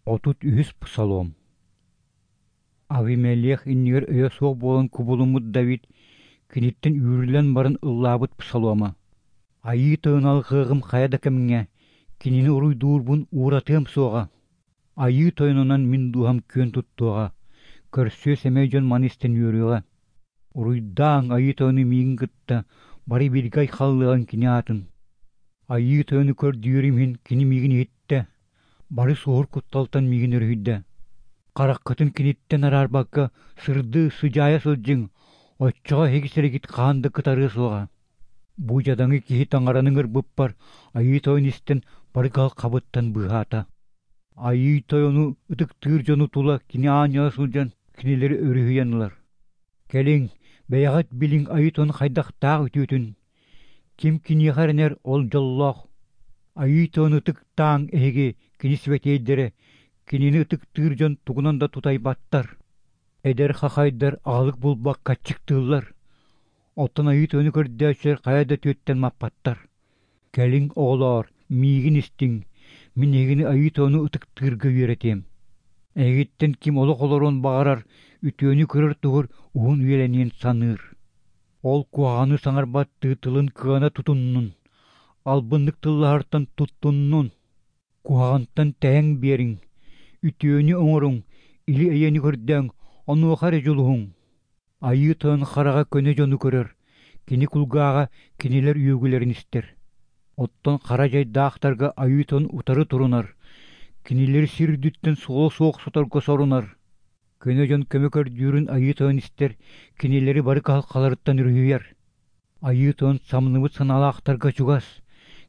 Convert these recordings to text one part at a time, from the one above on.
33 Псалом Авимелех иннигэр өйө суох буолан кубулуммут Давид киниттэн үүрүллэн баран ыллаабыт псалома. Айыы Тойон алҕыаҕым хайа да кэмҥэ, кинини уруйдуурбун ууратыам суоҕа. Айыы Тойонунан мин дууһам күөн туттуоҕа, көрсүө сэмэй дьон маны истэн үөрүөҕэ. Уруйдааҥ Айыы Тойону миигин кытта, бары бииргэ айхаллыаҕыҥ кини аатын. Айыы Тойону көрдүүрүм иһин кини миигин иһиттэ, Бары суоһур кутталтан миигин өрүһүйдэ. Хараххытын киниттэн араарбакка сырдыы, сыдьаайа сылдьыҥ, оччоҕо эһиги сиригит хаһан да кытарыа суоҕа. Бу дьадаҥы киһи таҥараны ыҥырбыппар Айыы Тойон истэн бары кыһалҕабыттан быыһаата. Айыы Тойону ытыктыыр дьону тула кини аанньала сылдьан кинилэри өрүһүйэн ылар. Кэлиҥ, бэйэҕит билиҥ Айыы Тойон хайдахтаах үтүөтүн, Ким киниэхэ эрэнэр, ол дьоллоох. Айыы Тойону ытыктааҥ эһиги, кини сибэтиэйдэрэ, кинини ытыктыыр дьон тугунан да тутайбаттар. Эдэр хахайдар аҕалык булбакка аччыктыыллар, оттон Айыы Тойону көрдөөччүлэр хайа да түөттэн маппаттар. Кэлиҥ, оҕолоор, миигин истиҥ, мин эһигини Айыы Тойону ытыктыырга үөрэтиэм. Эһигиттэн ким олох олоруон баҕарар, үтүөнү көрөр туһугар уһун үйэлэниэн саныыр. Ол куһаҕаны саҥарбаттыы тылын кыана тутуннун, албыннык тыллаһартан туттуннун, куһаҕантан тэйэн биэриҥ, үтүөнү оҥоруҥ, или-эйэни көрдөөҥ, онуоха эрэ дьулуһуҥ. Айыы Тойон хараҕа көнө дьону көрөр, кини кулгааҕа кинилэр үөгүлэрин истэр. Оттон хара дьайдаахтарга Айыы Тойон утары турунар, кинилэри сир үрдүттэн суола суох соторго сорунар. Көнө дьон көмө көрдүүрүн Айыы Тойон истэр, кинилэри бары кыһалҕаларыттан өрүһүйэр. Айыы Тойон самныбыт санаалаахтарга чугас,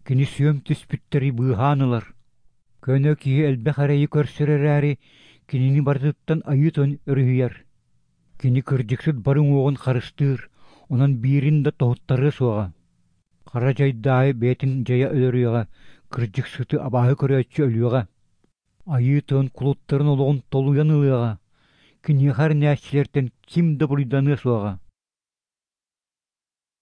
кини сүөм түспүттэри быыһаан ылар. Көнө киһи элбэх эрэйи көрсөр эрээри, кинини барытыттан Айыы Тойон өрүһүйэр. Кини кырдьыксыт бары уҥуоҕун харыстыыр, онон биирин да тоһуттарыа суоҕа. Хара дьайдаайы бэйэтин дьайа өлөрүөҕэ, кырдьыксыты абааһы көрөөччү өлүөҕэ. Айыы Тойон кулуттарын олоҕун толуйан ылыаҕа, киниэхэ эрэнээччилэртэн ким да буруйданыа суоҕа.